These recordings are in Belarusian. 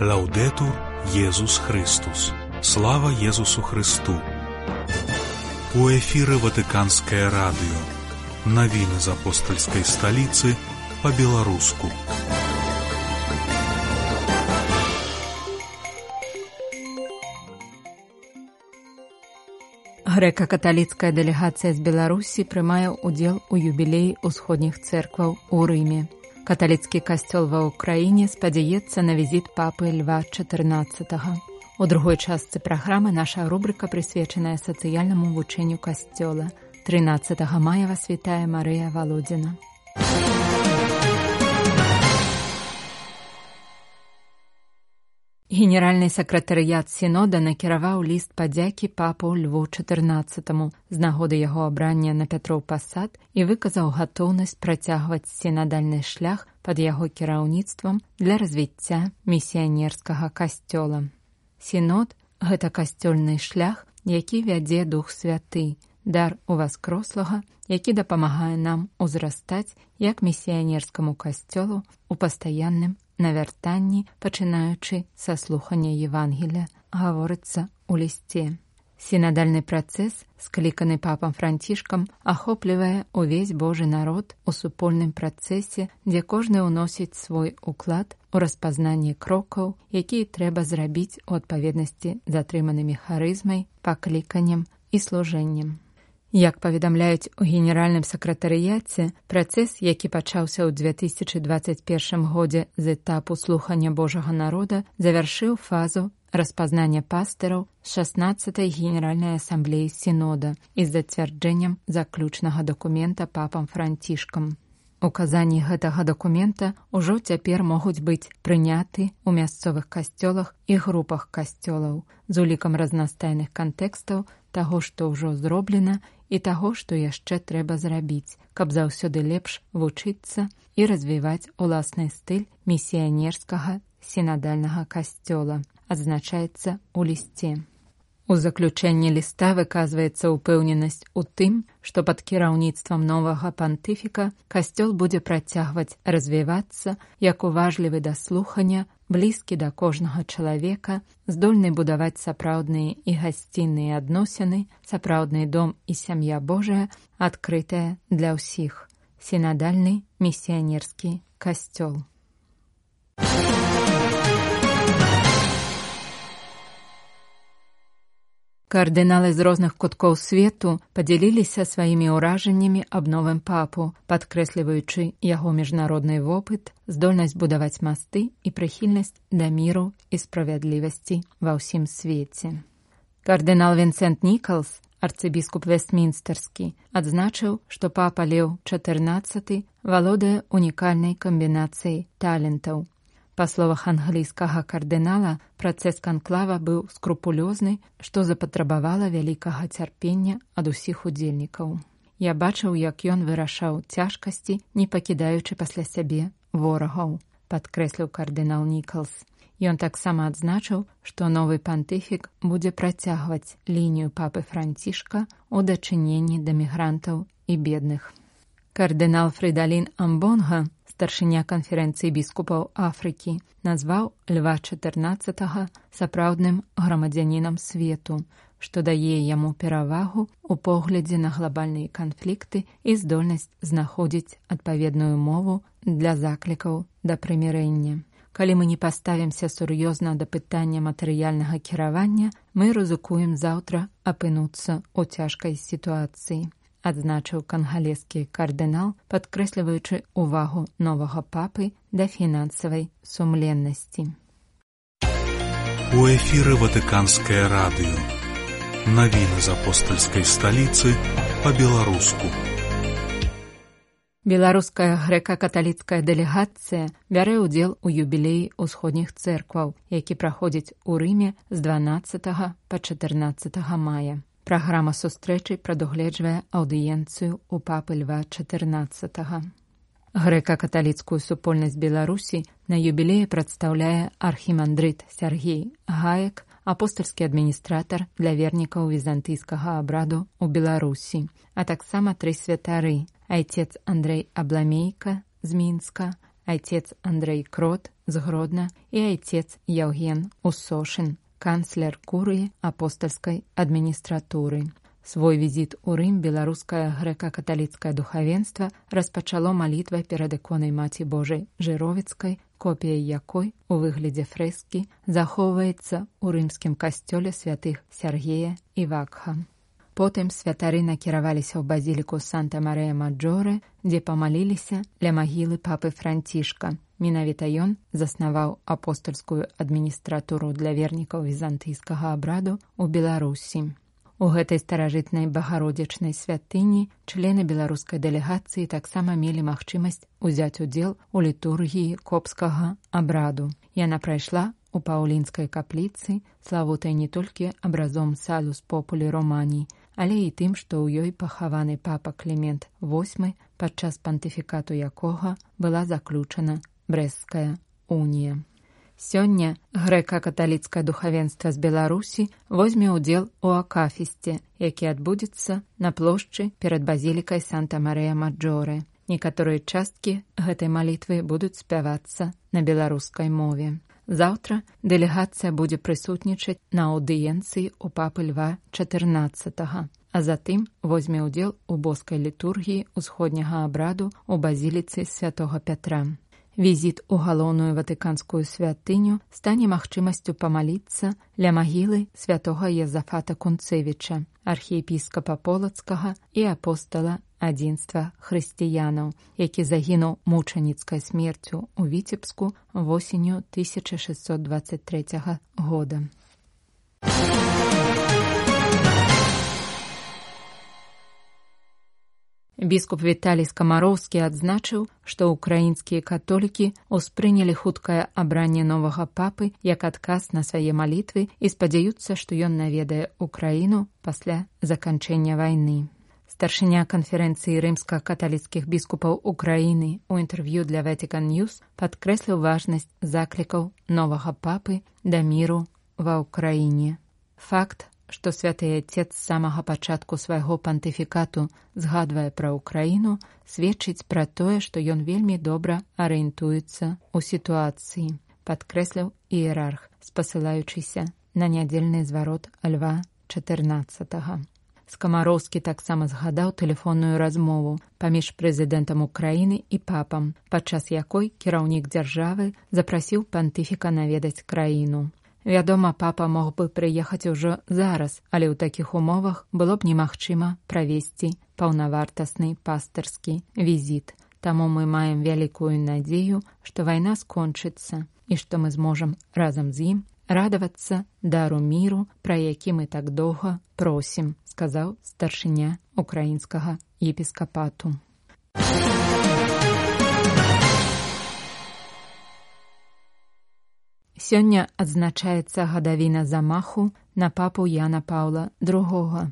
Лаўдетур Єсус Христос. Слава Єсусу Христу. У эфіры Ватыканскае радыё. Навіны з апостальскай сталіцы па-беларуску. Грэка-каталіцкая дэлегацыя з Беларусі прымае ўдзел у юбілеі ўсходніх цэркваў у Рыме. Каталіцкі касцёл ва ўкраіне спадзяецца на візіт папы Льва XIV. У другой частцы праграмы наша рубрыка прысвечаная сацыяльнаму вучэнню касцёла. 13 мая вас вітае Марыя Валодзіна. Генеральны сакратарыят сінода накіраваў ліст падзякі папу Льву XIV з нагоды яго абрання на Пятроў пасад і выказаў гатоўнасць працягваць сінадальны шлях пад яго кіраўніцтвам для развіцця місіянерскага касцёла. Сінод – гэта касцёльны шлях, які вядзе Дух Святы, дар уваскрослага, які дапамагае нам узрастаць як місіянерскаму касцёлу у пастаянным навяртанні, пачынаючы са слухання Евангелія, гаворыцца ў лісце. Сінадальны працэс, скліканы папам Францішкам, ахоплівае ўвесь Божы народ у супольным працэсе, дзе кожны ўносіць свой уклад у распазнанне крокаў, якія трэба зрабіць у адпаведнасці з атрыманымі харызмай, пакліканнем і служэннем. Як паведамляюць у генеральным сакратарыяце, працэс, які пачаўся ў 2021 годзе з этапу слухання Божага народа, завяршыў фазу распазнання пастыраў 16-й генеральнай асамблеі сінода і з зацвярджэннем заключнага дакумента папам Францішкам. Указанні гэтага дакумента ўжо цяпер могуць быць прыняты ў мясцовых касцёлах і групах касцёлаў з улікам разнастайных кантэкстаў таго, што ўжо зроблена, і таго, што яшчэ трэба зрабіць, каб заўсёды лепш вучыцца і развіваць уласны стыль місіянерскага сінадальнага касцёла, адзначаецца ў лісце. У заключэнні ліста выказваецца ўпэўненасць у тым, што пад кіраўніцтвам новага пантыфіка касцёл будзе працягваць развівацца як уважлівы да слухання, блізкі да кожнага чалавека, здольны будаваць сапраўдныя і гасцінныя адносіны, сапраўдны дом і сям'я Божая, адкрытая для ўсіх. Сінадальны місіянерскі касцёл. Кардыналы з розных куткоў свету падзяліліся сваімі ўражаннямі аб новым папу, падкрэсліваючы яго міжнародны вопыт, здольнасць будаваць масты і прыхільнасць да міру і справядлівасці ва ўсім свеце. Кардынал Вінсент Нікалс, арцыбіскуп Вестмінстэрскі, адзначыў, што папа Леў XIV валодае унікальнай камбінацыяй талентаў. Па словах англійскага кардынала, працэс канклава быў скрупулёзны, што запатрабавала вялікага цярпення ад усіх удзельнікаў. Я бачыў, як ён вырашаў цяжкасці, не пакідаючы пасля сябе ворагаў, падкрэсліў кардынал Нікалс. Ён таксама адзначыў, што новы пантыфік будзе працягваць лінію папы Францішка ў дачыненні да мігрантаў і бедных. Кардынал Фрыдалін Амбонга, старшыня канферэнцыі біскупаў Афрыкі, назваў Льва XIV сапраўдным грамадзянінам свету, што дае яму перавагу ў поглядзе на глабальныя канфлікты і здольнасць знаходзіць адпаведную мову для заклікаў да прымірэння. Калі мы не паставімся сур'ёзна да пытання матэрыяльнага кіравання, мы рызыкуем заўтра апынуцца ў цяжкай сітуацыі, адзначыў кангалескі кардынал, падкрэсліваючы ўвагу новага папы да фінансавай сумленнасці. У эфіры Ватыканскае радыё. Навіны з апостальскай сталіцы па-беларуску. Беларуская грэка-каталіцкая дэлегацыя бярэ ўдзел у юбілеі ўсходніх цэркваў, які праходзіць у Рыме з 12 па 14 мая. Праграма сустрэчы прадугледжвае аўдыенцыю ў папы Льва XIV. Грэка-каталіцкую супольнасць Беларусі на юбілеі прадстаўляе архімандрыт Сяргей Гаек, апостальскі адміністратар для вернікаў візантыйскага абраду ў Беларусі, а таксама 3 святары – айцец Андрэй Абламейка з Мінска, айцец Андрэй Крот з Гродна і айцец Яўген Усошын, канцлер курыі апостальскай адміністратуры. Свой візіт у Рым беларускае грэка-каталіцкае духавенства распачало малітвай перад іконай Маці Божай Жыровіцкай, копія якой у выглядзе фрэскі захоўваецца ў рымскім касцёле святых Сяргея і Вакха. Потым святары накіраваліся ў базіліку Санта-Марыя-Маджоре, дзе памаліліся ля магілы папы Францішка. Менавіта ён заснаваў апостальскую адміністратуру для вернікаў візантыйскага абраду ў Беларусі. У гэтай старажытнай багародзічнай святыні члены беларускай дэлегацыі таксама мелі магчымасць узяць удзел у літургіі копскага абраду. Яна прайшла у паўлінскай капліцы, славутай не толькі абразом Салус Популі Романій, але і тым, што ў ёй пахаваны папа Клімент VIII, падчас пантыфікату якога была заключана Брэсцкая унія. Сёння грэка-каталіцкае духавенства з Беларусі возьме ўдзел у акафісце, які адбудзецца на плошчы перад базілікай Санта-Марыя-Маджоре. Некаторыя часткі гэтай малітвы будуць спявацца на беларускай мове. Заўтра дэлегацыя будзе прысутнічаць на аўдыенцыі ў папы Льва XIV, а затым возьме ўдзел у боскай літургіі ўсходняга абраду ў базіліцы святога Пятра. Візіт у галоўную ватыканскую святыню стане магчымасцю памаліцца ля магілы святога Езафата Кунцевіча, архіепіскапа Полацкага і апостала адзінства хрысціянаў, які загінуў мучаніцкай смерцю ў Віцебску восенню 1623 года. Біскуп Віталій Скамароўскі адзначыў, што ўкраінскія католікі ўспрынялі хуткае абранне новага папы як адказ на свае малітвы і спадзяюцца, што ён наведае ўкраіну пасля заканчэння вайны. Старшыня канферэнцыі рымска-каталіцкіх біскупаў Украіны ў інтэрв'ю для Vatican News падкрэсліў важнасць заклікаў новага папы да міру ва ўкраіне. Факт, што святы Айцец з самага пачатку свайго пантыфікату згадвае пра ўкраіну, сведчыць пра тое, што ён вельмі добра арыентуецца ў сітуацыі, падкрэсліў іерарх, спасылаючыся на нядзельны зварот Льва XIV. Скамароўскі таксама згадаў тэлефонную размову паміж прэзідэнтам Украіны і папам, падчас якой кіраўнік дзяржавы запрасіў пантыфіка наведаць краіну. Вядома, папа мог бы прыехаць ужо зараз, але ў такіх умовах было б немагчыма правесці паўнавартасны пастырскі візіт. Таму мы маем вялікую надзею, што вайна скончыцца і што мы зможам разам з ім радавацца дару міру, пра які мы так доўга просім, сказаў старшыня украінскага епіскапату. Сёння адзначаецца гадавіна замаху на папу Яна Паўла II.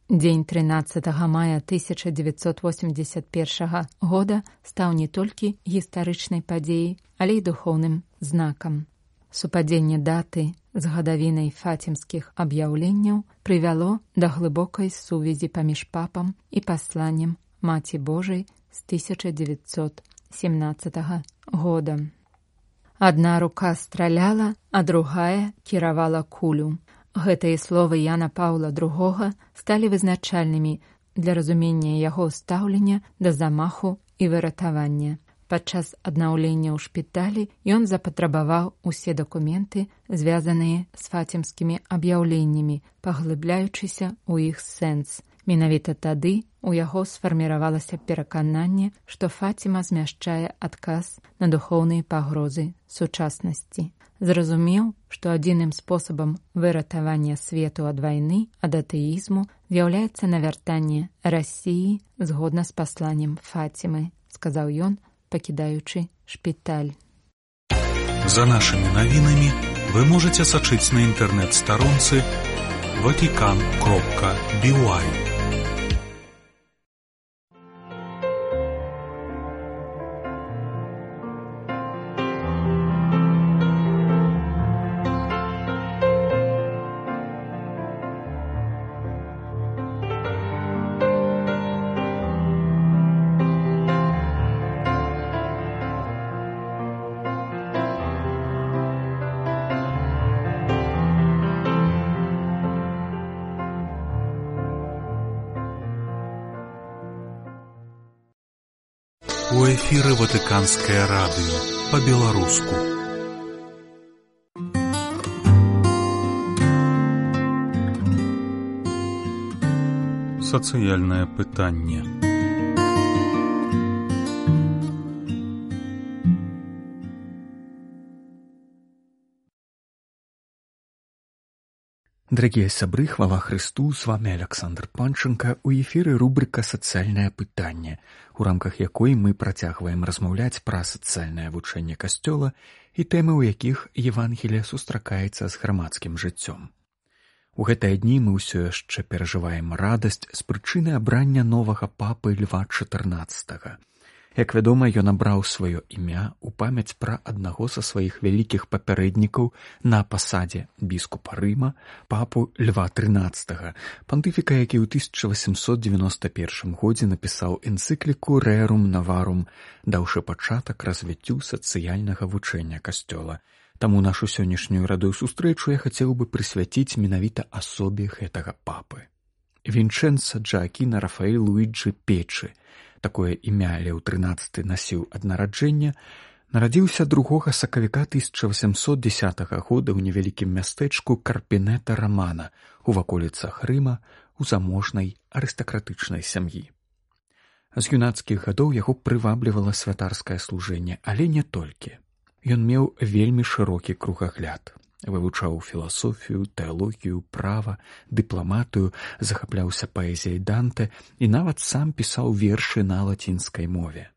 Дзень 13 мая 1981 года стаў не толькі гістарычнай падзеяй, але і духоўным знакам. Супадзенне даты з гадавінай фацімскіх аб'яўленняў прывяло да глыбокай сувязі паміж папам і пасланнем Маці Божай з 1917 года. Адна рука страляла, а другая кіравала кулю. Гэтыя словы Яна Паўла II сталі вызначальнымі для разумення яго стаўлення да замаху і выратавання. Падчас аднаўлення ў шпіталі ён запатрабаваў усе дакументы, звязаныя з фацімскімі аб'яўленнямі, паглыбляючыся ў іх сэнс. Менавіта тады у яго сфарміравалася перакананне, што Фаціма змяшчае адказ на духоўныя пагрозы сучаснасці. Зразумеў, што адзіным спосабам выратавання свету ад вайны, ад атэізму, з'яўляецца навяртанне Расіі згодна з пасланнем Фацімы, сказаў ён, пакідаючы шпіталь. За нашымі навінамі вы можаце сачыць на інтэрнэт-старонцы vatican.by. У эфіры Ватыканскае радыё па-беларуску. Сацыяльнае пытанне. Дорогие сябры, хвала Христу, с вами Александр Панченко, у эфіры рубрика «Сацыяльнае пытанне», у рамках якой мы працягваем размаўляць пра сацыяльнае вучэнне Касцёла і тэмы, у якіх Евангелие сустракаецца з грамадскім жыццём. У гэтыя дні мы ўсё яшчэ перажываем радасць з прычыны абрання новага папы Льва XIV. Як вядома, ён абраў сваё імя ў памяць пра аднаго са сваіх вялікіх папярэднікаў на пасадзе біскупа Рыма, папу Льва XIII, пантыфіка, які ў 1891 годзе напісаў энцыкліку «Rerum Novarum», даўшы пачатак развіццю сацыяльнага вучэння Касцёла. Таму нашу сённяшнюю радую сустрэчу я хацеў бы прысвяціць менавіта асобе гэтага папы. Вінчэнца Джоакіна Рафаэль Луіджі Печы, такое імя Леў XIII насіў ад нараджэння, нарадзіўся 2 сакавіка 1810 года ў невялікім мястэчку Карпінета Рамана у ваколіцах Рыма у заможнай арыстакратычнай сям'і. З юнацкіх гадоў яго прываблівала святарскае служэнне, але не толькі. Ён меў вельмі шырокі кругагляд. Вывучаў філасофію, тэалогію, права, дыпламатыю, захапляўся паэзіяй Данте і нават сам пісаў вершы на лацінскай мове.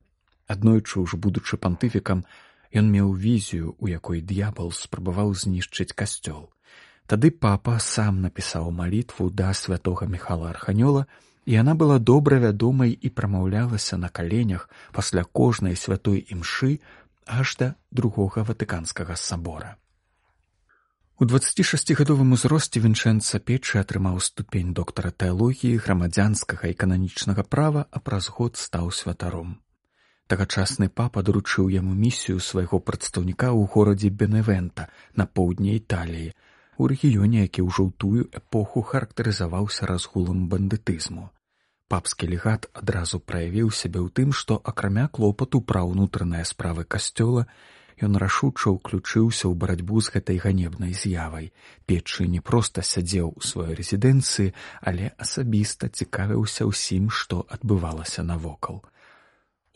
Аднойчы ўж будучы пантыфікам, ён меў візію, у якой д'ябал спрабаваў знішчыць касцёл. Тады папа сам напісаў малітву да святога Міхала Арханёла, і яна была добра вядомай і прамаўлялася на каленях пасля кожнай святой імшы аж да Другога Ватыканскага сабора. У 26-гадовым узросце Вінчэнца Печы атрымаў ступень доктара тэалогіі, грамадзянскага і кананічнага права, а праз год стаў святаром. Тагачасны папа даручыў яму місію свайго прадстаўніка ў горадзе Беневента на поўдні Італіі, у рэгіёне, які ўжо ў тую эпоху характарызаваўся разгулам бандытызму. Папскі легат адразу праявіў сябе ў тым, што акрамя клопату пра ўнутраныя справы касцёла, ён рашуча ўключыўся ў барацьбу з гэтай ганебнай з'явай. Печы не проста сядзеў у сваёй рэзідэнцыі, але асабіста цікавіўся ўсім, што адбывалася навокал.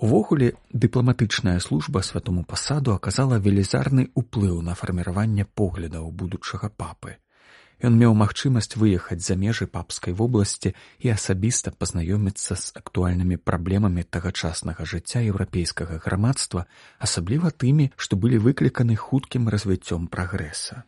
Увогуле, дыпламатычная служба святому пасаду аказала велізарны ўплыў на фарміраванне поглядаў будучага папы. Ён меў магчымасць выехаць за межы папскай вобласці і асабіста пазнаёміцца з актуальнымі праблемамі тагачаснага жыцця еўрапейскага грамадства, асабліва тымі, што былі выкліканы хуткім развіццём прагрэса.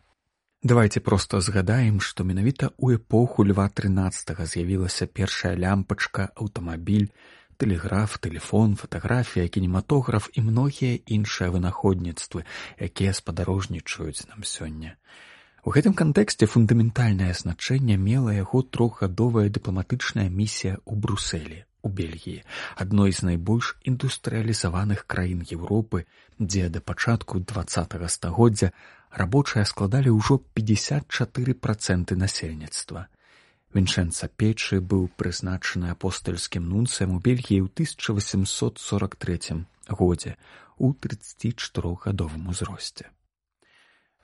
Давайце проста згадаем, што менавіта ў эпоху Льва XIII з'явілася першая лямпачка, аўтамабіль, тэлеграф, тэлефон, фатаграфія, кінематограф і многія іншыя вынаходніцтвы, якія спадарожнічаюць нам сёння. У гэтым кантэксце фундаментальнае значэнне мела яго 3-гадовая дыпламатычная місія ў Брусэлі, у Бельгіі, адной з найбольш індустрыялізаваных краін Еўропы, дзе да пачатку 20-го стагоддзя рабочыя складалі ўжо 54% насельніцтва. Вінчэнца Печы быў прызначаны апостальскім нунцыем у Бельгіі ў 1843 годзе у 34-гадовым узросце.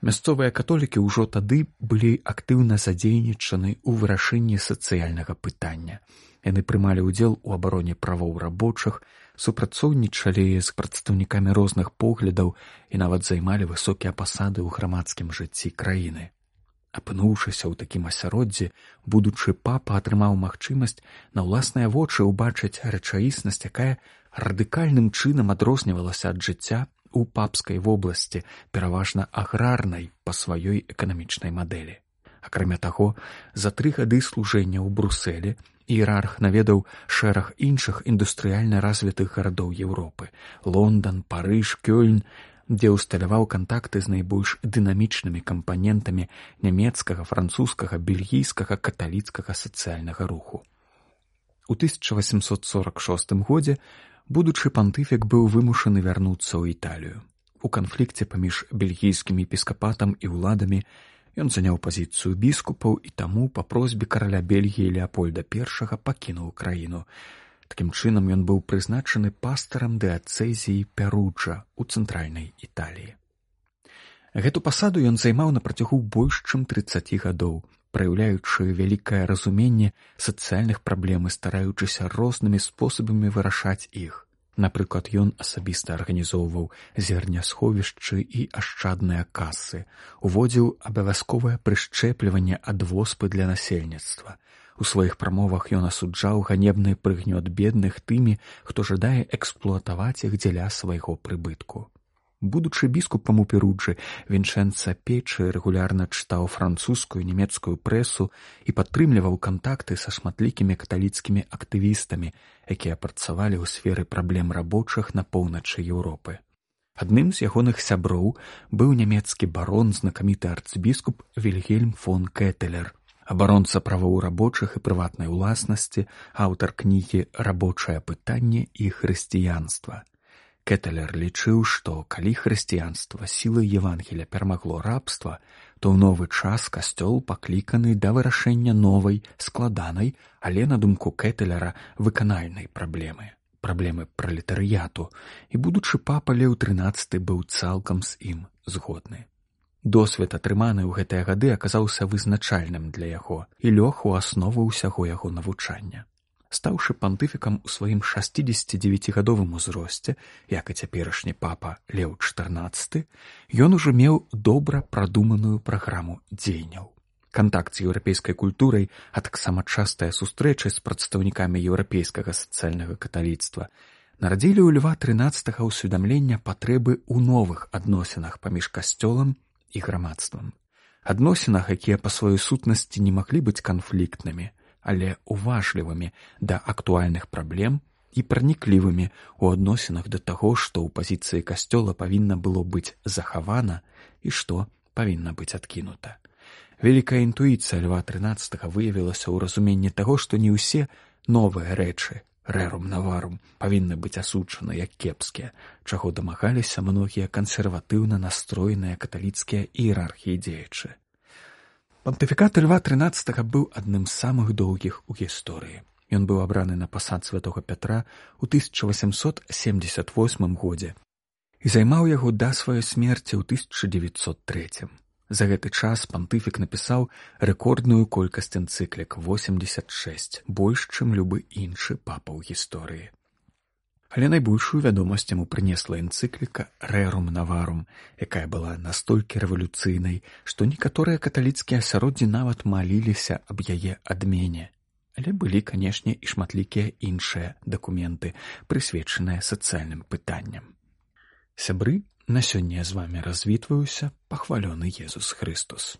Мясцовыя католікі ўжо тады былі актыўна задзейнічаны ў вырашэнні сацыяльнага пытання. Яны прымалі ўдзел у абароне правоў рабочых, супрацоўнічалі з прадстаўнікамі розных поглядаў і нават займалі высокія пасады ў грамадскім жыцці краіны. Апынуўшыся ў такім асяроддзі, будучы папа атрымаў магчымасць на ўласныя вочы ўбачыць рэчаіснасць, якая радыкальным чынам адрознівалася ад жыцця у папскай вобласці, пераважна аграрнай па сваёй эканамічнай мадэлі. Акрамя таго, за 3 гады служэння ў Брусэлі іерарх наведаў шэраг іншых індустрыяльна развітых гарадоў Еўропы – Лондан, Парыж, Кёльн, дзе ўсталяваў кантакты з найбольш дынамічнымі кампанентамі нямецкага, французскага, бельгійскага, каталіцкага сацыяльнага руху. У 1846 годзе будучы пантыфік быў вымушаны вярнуцца ў Італію. У канфлікце паміж бельгійскім епіскапатам і ўладамі ён заняў пазіцыю біскупаў і таму па просьбе караля Бельгіі Леапольда I пакінуў краіну. Такім чынам ён быў прызначаны пастарам дыяцэзіі Перуджа ў цэнтральнай Італіі. Гэту пасаду ён займаў на працягу больш чым 30 гадоў, праяўляючы вялікае разуменне сацыяльных праблем і стараючыся рознымі спосабамі вырашаць іх. Напрыклад, ён асабіста арганізоўваў зернясховішчы і ашчадныя касы, уводзіў абавязковае прышчэпліванне ад воспы для насельніцтва. У сваіх прамовах ён асуджаў ганебны прыгнёт бедных тымі, хто жадае эксплуатаваць іх дзеля свайго прыбытку. Будучы біскупам у Перуджы, Вінчэнца Печы рэгулярна чытаў французскую і нямецкую прэсу і падтрымліваў кантакты са шматлікімі каталіцкімі актывістамі, якія працавалі ў сферы праблем рабочых на поўначы Еўропы. Адным з ягоных сяброў быў нямецкі барон, знакаміты арцбіскуп Вільгельм фон Кэтэлер, абаронца правоў рабочых і прыватнай уласнасці, аўтар кнігі «Рабочае пытанне і хрысціянства». Кэтэлер лічыў, што калі хрысціянства сілай Евангелія перамагло рабства, то ў новы час касцёл пакліканы да вырашэння новай, складанай, але, на думку Кэтэлера, выканальнай праблемы пралетарыяту, і будучы папа Леў XIII быў цалкам з ім згодны. Досвед, атрыманы ў гэтыя гады, аказаўся вызначальным для яго і лёг у аснову ўсяго яго навучання. Стаўшы пантыфікам у сваім 69гадовым узросце, як і цяперашні папа Леў XIV, ён ужо меў добра прадуманую праграму дзеянняў. Кантакт з еўрапейскай культурай, а таксама частыя сустрэчы з прадстаўнікамі еўрапейскага сацыяльнага каталіцтва нарадзілі ў Льва XIII ўсведамлення патрэбы ў новых адносінах паміж касцёлам і грамадствам. Адносінах, якія па сваёй сутнасці не маглі быць канфліктнымі, але уважлівымі да актуальных праблем і праніклівымі ў адносінах да таго, што ў пазіцыі касцёла павінна было быць захавана і што павінна быць адкінута. Вялікая інтуіцыя Льва XIII выявілася ў разуменні таго, што не ўсе новыя рэчы, рэрум наварум, павінны быць асуджаны як кепскія, чаго дамагаліся многія кансерватыўна настроеныя каталіцкія іерархіі дзеячы. Пантыфікат Льва XIII быў адным з самых доўгіх у гісторыі. Ён быў абраны на пасад святога Пятра ў 1878 годзе і займаў яго да сваёй смерці ў 1903. За гэты час пантыфік напісаў рэкордную колькасць энцыклік — 86, больш, чым любы іншы папа ў гісторыі. Але найбольшую вядомасць яму прынесла энцыкліка «Рэрум наварум», якая была настолькі рэвалюцыйнай, што некаторыя каталіцкія асяроддзі нават маліліся аб яе адмене. Але былі, канешне, і шматлікія іншыя дакументы, прысвечаныя сацыяльным пытанням. Сябры, на сёння я з вамі развітваюся, пахвалёны Езус Хрыстус.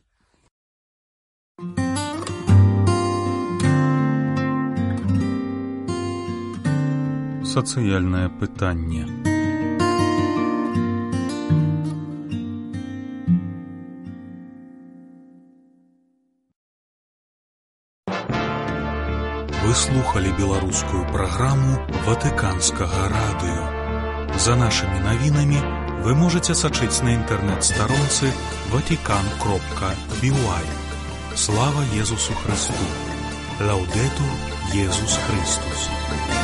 Сацыяльнае пытанне. Вы слухали беларускую праграму Ватыканскага радыё. За нашымі навінамі вы можаце сачыць на інтэрнэт-старонцы vatican.by. Слава Езусу Христу! Лаўдэтур Езус Христус!